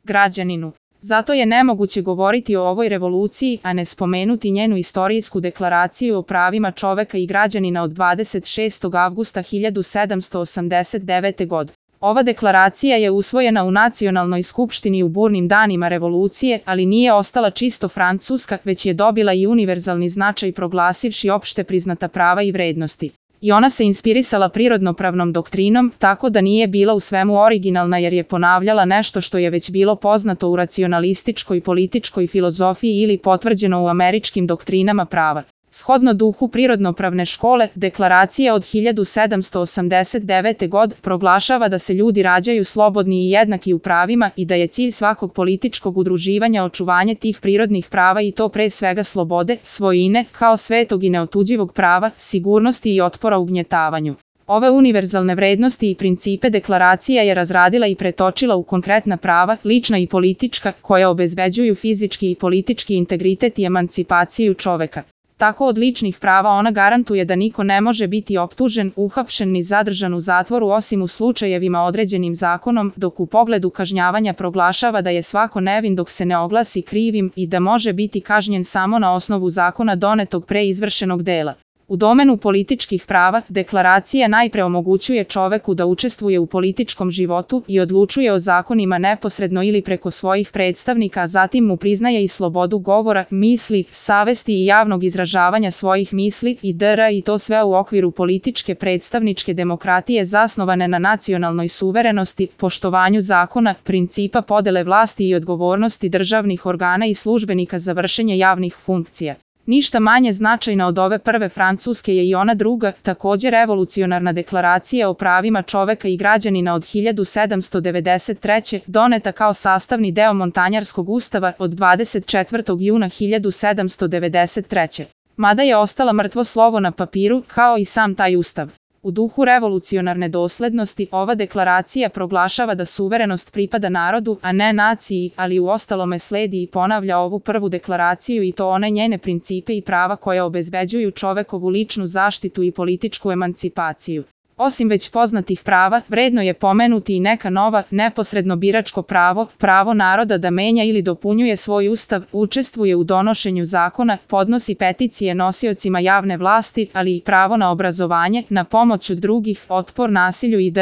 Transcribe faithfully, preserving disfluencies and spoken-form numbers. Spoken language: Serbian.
građaninu. Zato je nemoguće govoriti o ovoj revoluciji, a ne spomenuti njenu istorijsku deklaraciju o pravima čoveka i građanina od dvadeset šestog avgusta hiljadu sedamsto osamdeset devete. godine. Ova deklaracija je usvojena u Nacionalnoj skupštini u burnim danima revolucije, ali nije ostala čisto francuska, već je dobila i univerzalni značaj proglasivši opšte priznata prava i vrednosti. I ona se inspirisala prirodnopravnom doktrinom, tako da nije bila u svemu originalna jer je ponavljala nešto što je već bilo poznato u racionalističkoj političkoj filozofiji ili potvrđeno u američkim doktrinama prava. Shodno duhu prirodnopravne škole, deklaracija od hiljadu sedamsto osamdeset devete. godine proglašava da se ljudi rađaju slobodni i jednaki u pravima i da je cilj svakog političkog udruživanja očuvanje tih prirodnih prava i to pre svega slobode, svojine, kao svetog i neotuđivog prava, sigurnosti i otpora ugnjetavanju. Ove univerzalne vrednosti i principe deklaracija je razradila i pretočila u konkretna prava, lična i politička, koja obezbeđuju fizički i politički integritet i emancipaciju čoveka. Tako od ličnih prava ona garantuje da niko ne može biti optužen, uhapšen ni zadržan u zatvoru osim u slučajevima određenim zakonom, dok u pogledu kažnjavanja proglašava da je svako nevin dok se ne oglasi krivim i da može biti kažnjen samo na osnovu zakona donetog pre izvršenog dela. U domenu političkih prava, deklaracija najpre omogućuje čoveku da učestvuje u političkom životu i odlučuje o zakonima neposredno ili preko svojih predstavnika, a zatim mu priznaje i slobodu govora, misli, savesti i javnog izražavanja svojih misli itd. i to sve u okviru političke predstavničke demokratije zasnovane na nacionalnoj suverenosti, poštovanju zakona, principa podele vlasti i odgovornosti državnih organa i službenika za vršenje javnih funkcija. Ništa manje značajna od ove prve francuske je i ona druga, također revolucionarna deklaracija o pravima čoveka i građanina od hiljadu sedamsto devedeset treće. doneta kao sastavni deo Montanjarskog ustava od dvadeset četvrtog juna hiljadu sedamsto devedeset treće. Mada je ostala mrtvo slovo na papiru, kao i sam taj ustav. U duhu revolucionarne doslednosti, ova deklaracija proglašava da suverenost pripada narodu, a ne naciji, ali u ostalome sledi i ponavlja ovu prvu deklaraciju i to one njene principe i prava koje obezbeđuju čovekovu ličnu zaštitu i političku emancipaciju. Osim već poznatih prava, vredno je pomenuti i neka nova, neposredno biračko pravo, pravo naroda da menja ili dopunjuje svoj ustav, učestvuje u donošenju zakona, podnosi peticije nosiocima javne vlasti, ali i pravo na obrazovanje, na pomoć od drugih, otpor nasilju itd.